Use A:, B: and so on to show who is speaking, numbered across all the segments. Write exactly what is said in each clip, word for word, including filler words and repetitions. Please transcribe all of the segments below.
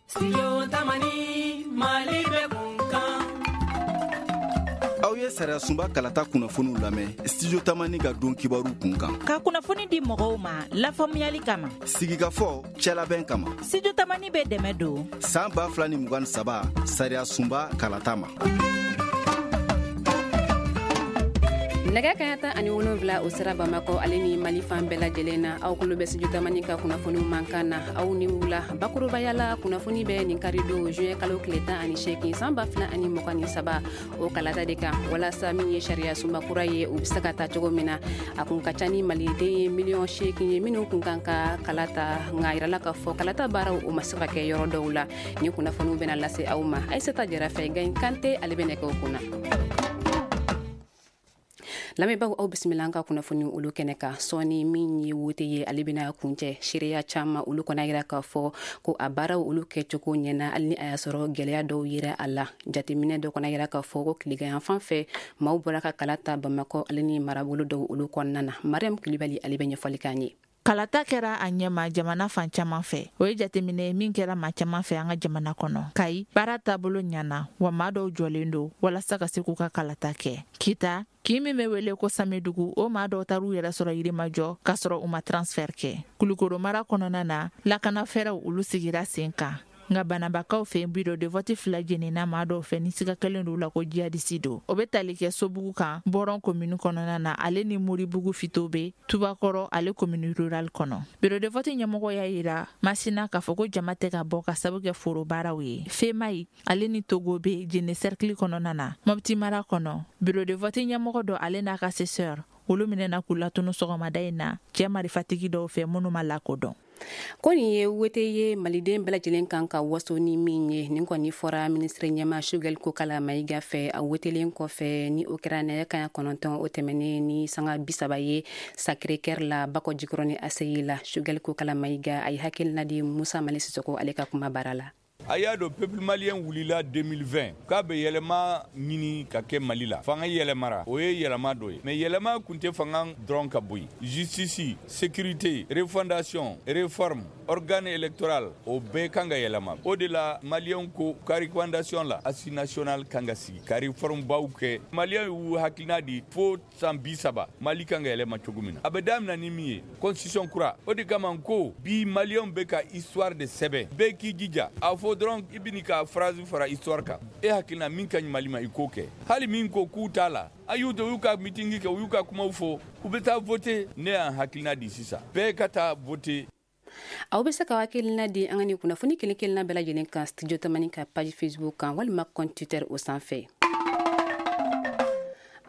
A: Studio Tamani, Mali bɛ kun kan.
B: Aw ye sariya sunba kalata kunnafoniw lamɛn Studio Tamani ka don kibaru kun kan.
C: Ka kunnafoni di mɔgɔw ma lafaamuyali kama.
B: Sigikafɔ cɛlabɛn kama.
C: Studio Tamani bɛ dɛmɛ don
B: san ba fila ni mugan ni saba sariya sunba kalata ma.
D: Nɛgɛ kaɲa tan ani wolonfila o sira Bamakɔ ale ni Mali fan bɛɛ lajɛlen na, aw kulo bɛ Studio Tamani ka kunnafoniw mankan na. Aw ni wula. Bakurubaya la, kunnafoni bɛ nin kari don juin kalo tile tan ani seegin san ba fila ani mugan ni saba o kalata de kan, walasa min ye sariya sunba kura ye, u bɛ se ka ta cogo min na. A kun ka ca ni maliden ye miliyɔn seegin ye minnu kun kan ka kalata, nka a yirala k'a fɔ kalata baaraw o ma se ka kɛ yɔrɔ dɔw la. Nin kunnafoniw bɛna lase aw ma Aïssata Jara fɛ, Gaye Kante ale bɛ nɛgɛw kunna. Lamɛnbaaw, aw bisimila an ka kunnafoni olu kɛnɛ kan. Sɔɔni min ye wote ye, ale bɛna kuncɛ. Seereya caman olu kɔni yira k'a fɔ ko a baaraw olu kɛcogo ɲɛna, hali ni a y'a sɔrɔ gɛlɛya dɔw yera a la. Jateminɛ dɔ kɔni yira k'a fɔ ko tilegan fan fɛ maaw bɔra ka kala ta Bamakɔ ale ni marabolo dɔw olu kɔnɔna na. Mariam Kulibali ale bɛ ɲɛfɔli k'an ye.
C: Kalata kɛra a ɲɛma jamana fan caman fɛ. O ye jateminɛ min kɛra maa caman fɛ an ka jamana kɔnɔ. Kayi, baara taabolo ɲana, wa maa dɔw jɔlen don walasa ka se k'u ka kalata kɛ. Kita, kin min bɛ wele ko Samedugu, o maa dɔw taar'u yɛrɛ sɔrɔ Yirimajɔ k'a sɔrɔ u ma transfert kɛ. Kulukoro mara kɔnɔna na, lakana fɛɛrɛw olu sigira sen kan. Nka banabakaw fɛ, bureau de vote fila jenina maa dɔw fɛ ni siga kɛlen don la ko jihadisi don. O bɛ tali kɛ Sobugu kan Bɔrɔn commune kɔnɔna na, ale ni Moribugu Fitobe Tubakɔrɔ ale commune rurale kɔnɔ. Bureau de vote ɲɛmɔgɔ y'a yira Masina k'a fɔ ko jama tɛ ka bɔ ka sababu kɛ foro baaraw ye. Femayi ale ni Togo bɛ Jene cercle kɔnɔna na. Mopti mara kɔnɔ, bureau de vote ɲɛmɔgɔ dɔ ale n'a ka assesseur olu minɛna k'u latunu sɔgɔmada in na cɛ marifatigi dɔw fɛ minnu ma lakodɔn.
D: Ko nin ye wote ye maliden bɛɛ lajɛlen kan ka waso ni min ye. Nin kɔni fɔra minisiri ɲɛma Choguel Kokalla Maïga fɛ a wotelen kɔfɛ, ni o kɛra nɛgɛ kaɲa kɔnɔntɔn o tɛmɛnen ni sanga bi saba ye Sacré-Cœur la Bakɔ Jikɔrɔni A C I la. Choguel Kokalla Maïga a ye hakilina di Musa Mali Sisoko ale ka kuma baara la.
E: A y'a dɔn, peuple malien wulila deux mille vingt k'a bɛ yɛlɛma ɲini ka kɛ Mali la. Fanga yɛlɛmara, o ye yɛlɛma dɔ ye, mais yɛlɛma kun tɛ fanga dɔrɔn ka bɔ yen. Justice, sécurité, refondation, réforme, organe électoral, o bɛɛ kan ka yɛlɛma. O de la maliyɛnw ko ka refondation la, assise nationale kan ka sigi ka réforme baw kɛ. Maliyɛnw y'u hakilina di fo san bi saba, Mali kan ka yɛlɛma cogo min na. A bɛ daminɛ ni min ye, constitution kura. O de kama ko bi maliyɛnw bɛ ka histoire de sɛbɛn. Bɛɛ k'i jija a fɔ dɔrɔn, i bɛ ka phrase fara histoire kan. E hakilina min ka ɲi Mali ma, i k'o kɛ. Hali min ko k'u t'a la, a y'u to u y'u ka meeting kɛ, u y'u ka kumaw fɔ, u bɛ taa voter. Ne y'an hakilina di sisan, bɛɛ ka taa voter.
D: Aw bɛ se ka hakilina di an ka nin kunnafoni kelen kelenna bɛɛ lajɛlen kan Studio Tamani ka page Facebook kan walima compte Twitter o sanfɛ.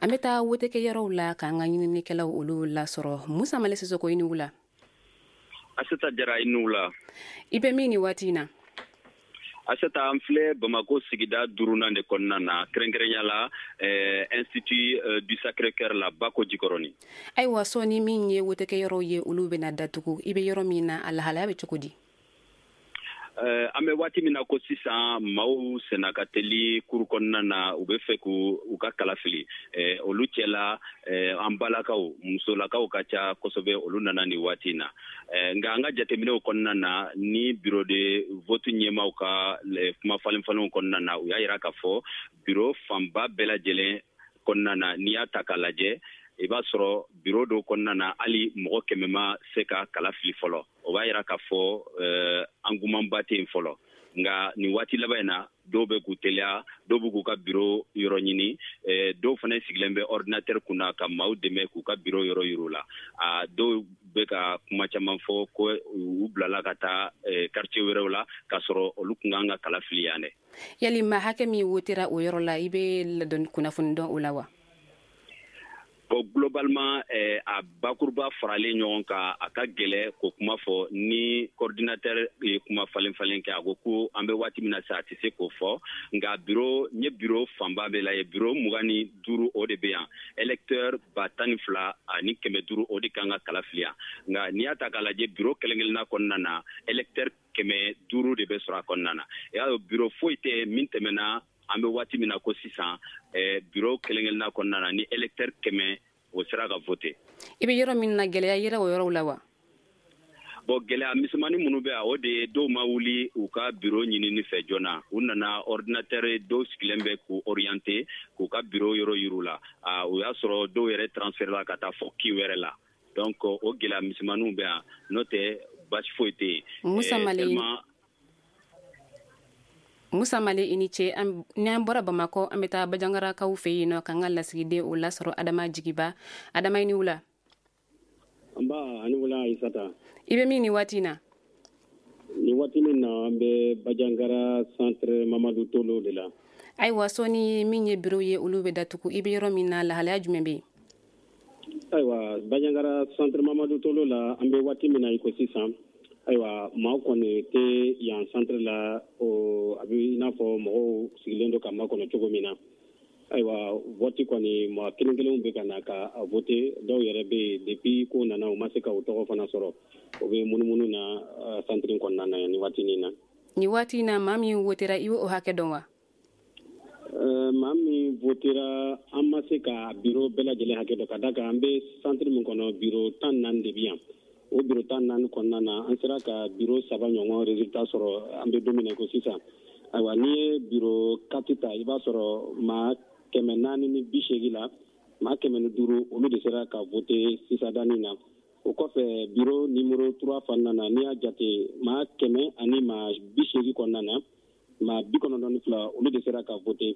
D: An bɛ taa wotekɛyɔrɔw la k'an ka ɲininikɛlaw olu lasɔrɔ. Musa Male Sisoko, i ni wula.
F: Aseta Jara, i ni wula.
D: I bɛ min ni waati in na?
F: Aseta, an filɛ Bamako sigida duurunan de kɔnɔna na, kɛrɛnkɛrɛnya la eh, Institut euh, du Sacré Cœur la Bako Jikɔrɔni.
D: Ayiwa, sɔɔni min ye wotekɛyɔrɔw ye, olu bɛna datugu. I bɛ yɔrɔ min na, a lahalaya bɛ cogo di?
F: Uh, an bɛ waati min na ko sisan, maaw senna ka teli kuru kɔnɔna na, u bɛ fɛ k'u u ka kala fili. eh, olu cɛla, eh, an balakaw, musolakaw ka ca kosɛbɛ, olu nana nin waati in na. eh, nka an ka jateminɛw kɔnɔna na ni bureau de vote ɲɛmaw ka kuma falen falenw kɔnɔna na, u y'a yira k'a fɔ bureau fanba bɛɛ lajɛlen kɔnɔna na, n'i y'a ta k'a lajɛ, i b'a sɔrɔ bureau dɔw kɔnɔna na, hali mɔgɔ kɛmɛ ma se ka kala fili fɔlɔ. O b'a yira k'a fɔ euh, engouement tɛ yen fɔlɔ. Nka nin waati laban in na, dɔw bɛ k'u teliya, dɔw bɛ k'u ka bureau yɔrɔ ɲini, eh, dɔw fana sigilen bɛ ordinateur kunna ka maaw dɛmɛ k'u ka bureau yɔrɔ yir'u la. A dɔw bɛ ka kuma caman fɔ ko u bilala ka taa eh, quartier wɛrɛw la, k'a sɔrɔ olu kun kan ka kala fili yan dɛ.
D: Yali maa hakɛ min wotera o yɔrɔ la, i bɛ ladɔn kunnafoni dɔn o la wa?
F: Bon, globalement, eh, a bakuruba faralen ɲɔgɔn kan, a ka gɛlɛ k'o kuma fɔ. Ni coordinateur ye kuma falen falen kɛ, a ko ko an bɛ waati min na sisan, a tɛ se k'o fɔ. Nka bureau n ye bureau fanba bɛɛ la ye, bureau mugan ni duuru, o de bɛ yan. Électeur ba tan ni fila ani kɛmɛ duuru, o de kan ka kala fili yan. Nka n'i y'a ta k'a lajɛ, bureau kelen kelenna kɔnɔna na, électeur kɛmɛ duuru de bɛ sɔrɔ a kɔnɔna na. I y'a dɔn, bureau foyi tɛ min tɛmɛna. An bɛ waati min na ko sisan, eh, bureau kelen kelenna kɔnɔna na, ni électeur kɛmɛ o sera ka voter.
D: I bɛ yɔrɔ min na, gɛlɛya yera o yɔrɔw la wa?
F: Bon, gɛlɛya misɛnmanin minnu bɛ yan, o de ye dɔw ma wuli u ka bureau ɲinini fɛ joona. U nana ordinateur dɔw sigilen bɛ k'u orienter, k'u ka bureau yɔrɔ yir'u la. O y'a sɔrɔ dɔw yɛrɛ transfert la ka taa fɔ kin wɛrɛ la. Donc o gɛlɛya misɛnmaninw bɛ yan, n'o tɛ basi foyi tɛ yen.
D: Musa Male, Musa Male, i ni ce. N'an bɔra Bamakɔ, an bɛ taa Bajangarakaw fɛ yen nɔ k'an ka lasigiden o lasɔrɔ, Adama Jigiba. Adama, i ni wula.
G: Nba, ani wula Ayisata.
D: I bɛ min nin waati in na?
G: Nin waati min na, an bɛ Bajangara centre Mamadu Tolo de la.
D: Ayiwa, sɔɔni min ye bureau ye, olu bɛ datugu. I bɛ yɔrɔ min na, lahalaya jumɛn bɛ yen?
G: Ayiwa, Bajangara centre Mamadu Tolo la, an bɛ waati min na i ko sisan, ayiwa, maaw kɔni tɛ yan centre la. O a bɛ i n'a fɔ mɔgɔw sigilen don ka makɔnɔ cogo min na. Ayiwa, vote kɔni, maa kelen kelenw bɛ ka na ka vote. Dɔw yɛrɛ bɛ yen, depuis ko nana, u ma se ka u tɔgɔ fana sɔrɔ. O bɛ munumunu na centre kɔnɔna na nin waati in na.
D: Nin waati in na, maa min votera, i b'o hakɛ dɔn wa?
G: Maa min votera, an ma se ka bureau bɛɛ lajɛlen hakɛ dɔn, ka da kan an bɛ centre min kɔnɔ, bureau tan naani de bɛ yan. O bureau tan naani kɔnɔna na, an sera ka bureau saba ɲɔgɔn résultat sɔrɔ an bɛ don min na i ko sisan. Ayiwa, n'i ye bureau quatre ta, i b'a sɔrɔ maa kɛmɛ naani ni bi seegin la, maa kɛmɛ ni duuru, olu de sera ka voter sisadani na. O kɔfɛ, bureau numéro trois fana na, n'i y'a jate maa kɛmɛ ani maa bi seegin kɔnɔna na, maa bi kɔnɔntɔn ni fila, olu de sera ka voter.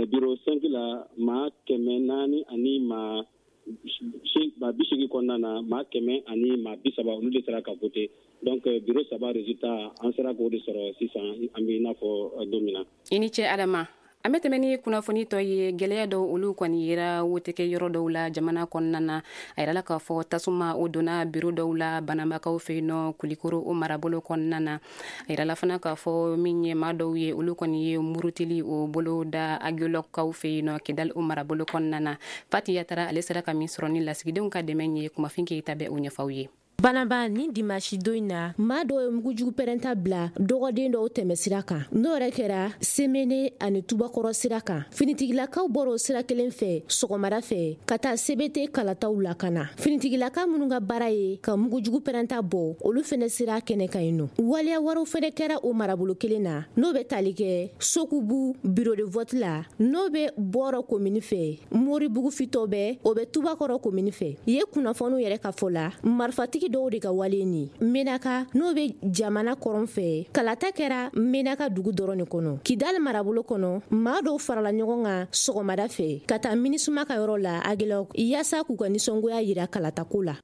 G: Bureau cinq la, maa kɛmɛ naani ani maa bi seegin kɔnɔna na, maa kɛmɛ ani maa bi saba, olu de sera ka voter. Donc bureau saba résultat, an sera k'o de sɔrɔ sisan, an bɛ i n'a fɔ don min na.
D: I ni ce Adama. An bɛ tɛmɛ ni kunnafoni tɔ ye. Gɛlɛya dɔw, olu kɔni yera wotekɛ yɔrɔ dɔw la jamana kɔnɔna na. A yirala k'a fɔ tasuma o donna biro dɔw la Banabakaw fɛ yen nɔ, Kulikoro o marabolo kɔnɔna na. A yirala fana k'a fɔ min ye maa dɔw ye, olu kɔni ye murutili o bolo da Agelɔkaw fɛ yen nɔ, Kidali o marabolo kɔnɔna na. Fati Yatara, ale sera ka min sɔrɔ ni lasigidenw ka dɛmɛ ye, Kumafin Keyita bɛ o ɲɛfɔ aw ye.
H: Banaba, ni dimasi don in na, maa dɔw ye mugujugu pɛrɛnta bila dɔgɔden dɔw tɛmɛ sira kan. N'o yɛrɛ kɛra Semene ani Tubakɔrɔ sira kan. Finitigilakaw bɔra o sira kelen fɛ sɔgɔmada fɛ ka taa C B T kalataw lakana. Finitigilaka minnu ka baara ye ka mugujugu pɛrɛnta bɔ, olu fɛnɛ sira kɛnɛ kan yen nɔ. Waleya wɛrɛw fɛnɛ kɛra o marabolo kelen na, n'o bɛ tali kɛ Sokubu bureau de vote la, n'o bɛ Bɔrɔ komini fɛ, Moribugu fitɔ bɛ, o bɛ Tubakɔrɔ komini fɛ. Ye kunnafoniw yɛrɛ ka fɔ la, marifatigi dɔw de ka wale ni Menaka, n'o bɛ jamana kɔrɔn fɛ. Kalata kɛra Menaka dugu dɔrɔn de kɔnɔ. Kidali marabolo kɔnɔ, maa dɔw farala ɲɔgɔn kan sɔgɔmada fɛ ka taa Minisuma ka yɔrɔ la Agelɔk, yaasa k'u ka nisɔngoya yira kalatako la.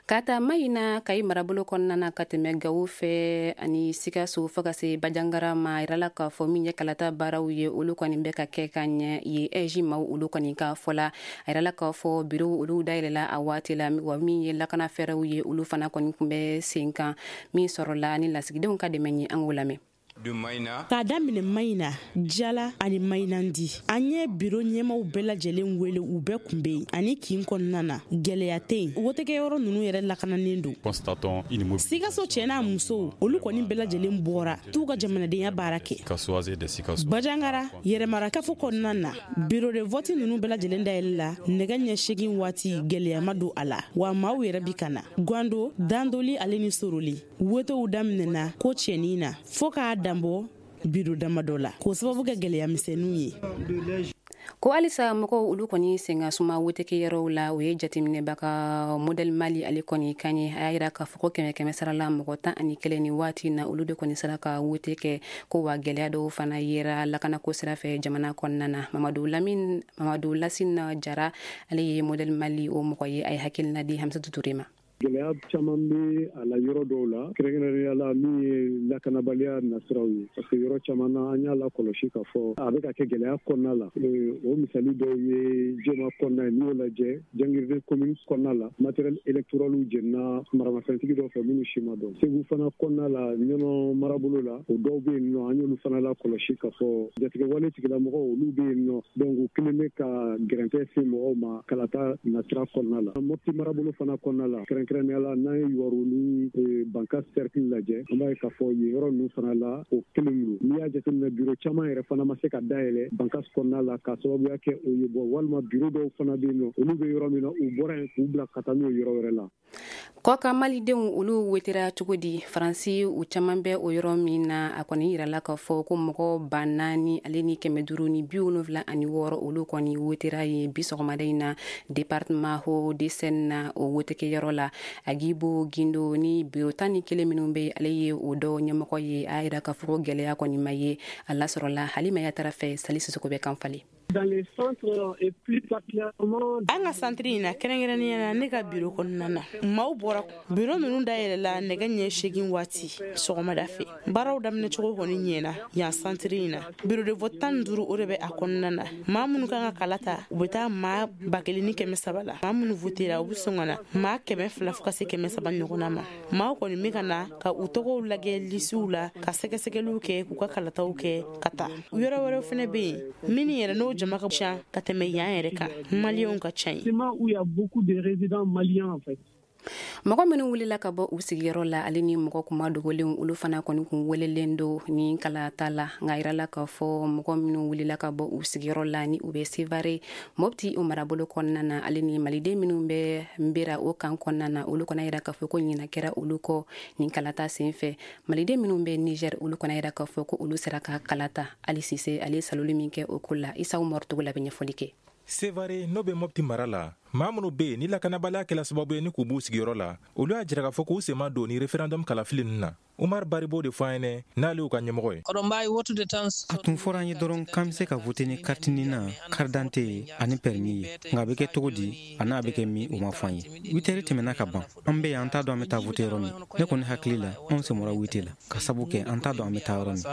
D: Ka taa Mayina, Kayi marabolo kɔnɔna na, ka tɛmɛ Gawo fɛ ani Sikaso fo ka se Bajangara ma, a yirala k'a fɔ min ye kalata baaraw ye, olu kɔni bɛ ka kɛ ka ɲɛ ye ɛji maaw olu kɔni ka fɔ la. A yirala k'a fɔ bureau olu dayɛlɛla a waati la, wa min ye lakana fɛɛrɛw ye, olu fana kɔni tun bɛ sen kan. Min sɔrɔla ni lasigidenw ka dɛmɛ ye, an k'o lamɛn.
I: K'a daminɛ Mayina, Jala ani Mayinandi, an ye biro ɲɛmaw bɛɛ lajɛlen wele, u bɛɛ kun bɛ yen ani kin kɔnɔna na, gɛlɛya tɛ yen. Wotekɛyɔrɔ ninnu yɛrɛ lakananen don. Sikaso cɛ n'a musow, olu kɔni bɛɛ lajɛlen bɔra t'u ka jamanadenya baara kɛ. Bajangara yɛrɛmara kafo kɔnɔna na, biro de vote ninnu bɛɛ lajɛlen dayɛlɛ la nɛgɛ ɲɛ seegin waati, gɛlɛya ma don a la, wa maaw yɛrɛ bi ka na. Gwando, Dandoli ale ni Soroli, wotew daminɛna ko cɛnin na fo k'a danbɔ biro damadɔ la, k'o sababu kɛ gɛlɛya misɛnninw ye.
D: Ko halisa mɔgɔw olu kɔni sen ka suma wotekɛyɔrɔw la, o ye jateminɛbaga Modèle Mali ale kɔni kan ye. A y'a yira k'a fɔ ko kɛmɛ kɛmɛ sara la, mɔgɔ tan ani kelen ni waati na, olu de kɔni sera ka wote kɛ. Ko wa gɛlɛya dɔw fana yera lakanako sira fɛ jamana kɔnɔna na. Mamadu Lamine, Mamadu Lasina Jara, ale ye Modèle Mali o mɔgɔ ye, a ye hakilina di Hamsatu Ture ma.
J: Gɛlɛya caman bɛ a la yɔrɔ dɔw la, kɛrɛnkɛrɛnnenya la min ye lakanabaliya nasiraw ye, parce que yɔrɔ caman na an y'a lakɔlɔsi k'a fɔ a bɛ ka kɛ gɛlɛya kɔnɔna la. O misali dɔw ye Jema kɔnɔna ye, n'i y'o lajɛ Jangiride commune kɔnɔna la, matériel électoral jenina maramafɛntigi dɔw fɛ minnu si ma dɔn. Segu fana kɔnɔna la, Ɲɔnɔ marabolo la, o dɔw bɛ yen nɔ, an y'olu fana lakɔlɔsi k'a fɔ jatigɛwale tigilamɔgɔw olu bɛ yen nɔ, donc u kelen bɛ ka gɛrɛntɛ se mɔgɔw ma kalata nasira kɔnɔna la. Mopti marabolo fana kɔnɔna la, kɛrɛnkɛrɛnnenya la n'an ye Yuwaru ni Bankass cercle lajɛ, an b'a ye k'a fɔ yen yɔrɔ ninnu fana la o kelen don. N'i y'a jateminɛ, bureau caman yɛrɛ fana ma se ka dayɛlɛ Bankass kɔnɔna la k'a sababuya kɛ o ye. Bɔ walima bureau dɔw fana bɛ yen nɔ, olu bɛ yɔrɔ min na, u bɔra yen k'u bila ka taa n'o yɔrɔ wɛrɛ la.
D: Kɔkan malidenw, olu wetera cogo di Faransi? U caman bɛ o yɔrɔ min na, a kɔni yirala k'a fɔ ko mɔgɔ ba naani ale ni kɛmɛ duuru ni bi wolonfila ani wɔɔrɔ, olu kɔni wetera ye bi sɔgɔmada in na département Hauts-de-Seine na, o wotekɛyɔrɔ la. Agibo Gindo ni biro tan ni kelen minnu bɛ, ale ye o dɔ ɲɛmɔgɔ ye. A yira k'a fɔ ko gɛlɛya kɔni ma ye a lasɔrɔla. Halima Yatara fɛ, Sali Sisoko bɛ kan falen.
I: An ka santiri in na, kɛrɛnkɛrɛnnenya na ne ka biro kɔnɔna na, maaw bɔra. Biro ninnu dayɛlɛla nɛgɛ ɲɛ seegin waati sɔgɔmada fɛ. Baaraw daminɛ cogo kɔni ɲɛna yan santiri in na. Bureau de vote tan ni duuru, o de bɛ a kɔnɔna na. Maa minnu kan ka kala ta, u bɛ taa maa ba kelen ni kɛmɛ saba la. Maa minnu votera, u bɛ sɔn ka na maa kɛmɛ fila fo ka se kɛmɛ saba ɲɔgɔnna ma. Maaw kɔni bɛ ka na ka u tɔgɔw lajɛ lisiw la, ka sɛgɛsɛgɛliw kɛ, k'u ka kalataw kɛ ka taa. Yɔrɔ wɛrɛw fana bɛ yen minnu yɛrɛ n'o jama ka ca ka tɛmɛ yan yɛrɛ kan, maliyɛnw ka ca yen.
D: Mɔgɔ minnu wulila ka bɔ u sigiyɔrɔ la, ale ni mɔgɔ kuma dogolenw, olu fana kɔni kun welelen don ni kalata la. Nka yirala k'a fɔ mɔgɔ minnu wulila ka bɔ u sigiyɔrɔ la, ni u bɛ Sevare, Mopti o marabolo kɔnɔna na, ale ni maliden minnu bɛ Nbera o kan kɔnɔna na, olu kɔni yira k'a fɔ ko ɲina kɛra olu kɔ nin kalata sen fɛ. Maliden minnu bɛ Niger, olu kɔni yira k'a fɔ ko olu sera ka kalata. Ali Sise, ale ye saloli min kɛ o ko la, Isa Umaru Togola bɛ ɲɛfɔli kɛ.
K: Sevare, n'o bɛ Mopti mara la, maa minnu bɛ yen ni lakanabaliya kɛla sababu ye ni k'u b'u sigiyɔrɔ la, olu y'a jira k'a fɔ k'u sen ma don ni référendum kalafili ninnu na. Umar Baribo de fɔ an ɲɛnɛ, n'ale y'u ka ɲɛmɔgɔ ye.
L: A tun fɔra an ye dɔrɔn k'an bɛ se ka vote ni carte NINA, carte d'identité ani permis ye. Nka a bɛ kɛ cogo di a n'a bɛ kɛ min, o ma fɔ an ye. Huit heures tɛmɛna ka ban, an bɛ yan, an t'a dɔn an bɛ taa vote yɔrɔ min. Ne kɔni hakili la, anw sen bɔra vote la ka sabu kɛ an t'a dɔn an bɛ taa yɔrɔ min.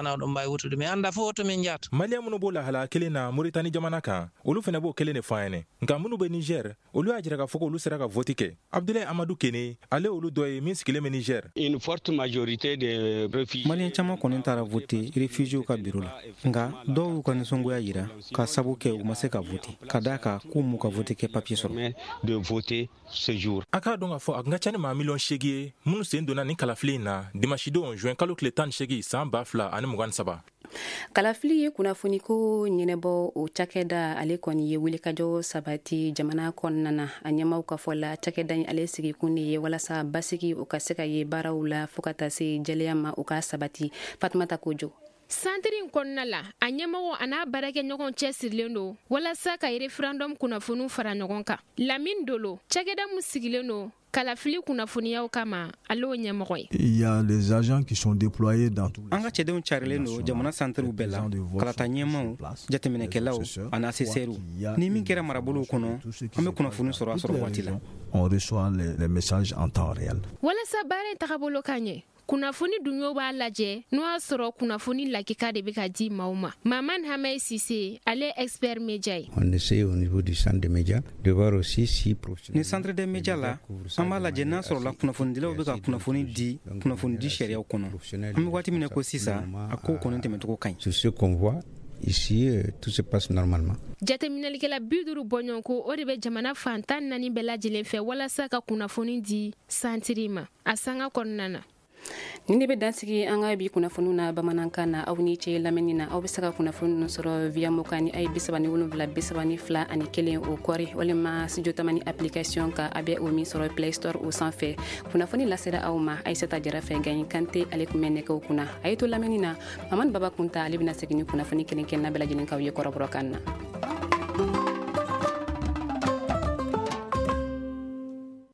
K: Maliyɛn minnu b'o lahalaya kelen na Moritani jamana kan, olu fana b'o kelen de fɔ an ɲɛnɛ. Nka minnu bɛ Niger, olu y'a jira k'a fɔ k'olu sera ka vote kɛ. Abdulayi Amadu Kene, ale olu dɔ ye min sigilen bɛ Niger.
M: Une forte majorité des réfugiés.
L: Maliyɛn caman kɔni taara vote réfugiés ka biro la, nka dɔw y'u ka nisɔngoya yira ka sabu kɛ u ma se ka vote, ka d'a kan k'u m'u ka vote kɛ papier sɔrɔ.
M: De voter ce jour.
K: A k'a dɔn k'a fɔ a kun ka ca ni maa miliyɔn seegin ye minnu sen donna nin kalafili in na dimanche don juin kalo tile tan ni seegin san ba fila ani mugan ni saba.
D: Kalafili ye kunnafoniko ɲɛnɛbɔ o cakɛda, ale kɔni ye wulikajɔ sabati jamana kɔnɔna na. A ɲɛmaw ka fɔ la, cakɛda in ale sigikun de ye walasa basigi o ka se ka ye baaraw la, fɔɔ ka taa se jɛlɛya ma, o ka sabati. Fatumata Kojo.
N: Santiri in kɔnɔna la, a ɲɛmɔgɔ a n'a baarakɛɲɔgɔn cɛ sirilen don walasa ka référendum kunnafoniw fara ɲɔgɔn kan. Lamine Dolo, cakɛda min sigilen don kalafili kunnafoniyaw kama, ale o ɲɛmɔgɔ ye.
O: Il y a les agents qui sont déployés dans tous
L: An ka cɛdenw carilen don jamana santiriw bɛɛ la, kalata ɲɛmaw, jateminɛkɛlaw ani assesseurs. Ni min kɛra marabolow kɔnɔ, an bɛ kunnafoni sɔrɔ a sɔrɔ waati la.
O: On reçoit les, les messages en temps réel.
N: Walasa baara in tagabolo ka ɲɛ, kunnafoni dunyo b'a lajɛ n'o y'a sɔrɔ kunnafoni lakika de bɛ ka di maaw ma. Maman Hamaye Sise, ale expert média ye.
P: On essaie au niveau du centre des médias de voir aussi si
L: Ni centre des médias la, an b'a lajɛ n'a sɔrɔla kunnafonidilaw bɛ ka kunnafoni di kunnafoni di sariyaw kɔnɔ. An bɛ waati min na ko sisan, a kow kɔni tɛmɛcogo ka ɲi.
P: Sur ce qu'on voit ici, euh, tout se passe normalement.
N: Jateminɛlikɛla bi duuru bɔɲɔgɔnko, o de bɛ jamana fan tan naani bɛɛ lajɛlen fɛ walasa ka kunnafoni di santiri ma a sanga kɔnɔna na.
D: Nin de bɛ dansigi an ka bi kunnafoniw na bamanankan na. Aw ni ce lamɛnni na. Aw bɛ se ka kunnafoni ninnu sɔrɔ via moka ni a ye bisaba ni wolonwula bisaba ni fila ani kelen o kɔri, walima Studio Tamani application ka, a bɛ o min sɔrɔ Play Store o sanfɛ. Kunnafoni lasera aw ma Ayisata Jara fɛ, Gaɲi Kante ale tun bɛ nɛgɛw kunna. A ye to lamɛnni na, Mamadu Baba Kunta, ale bɛna segin ni kunnafoni kelen kelenna bɛɛ lajɛlen k'aw ye kɔrɔbɔrɔkan na.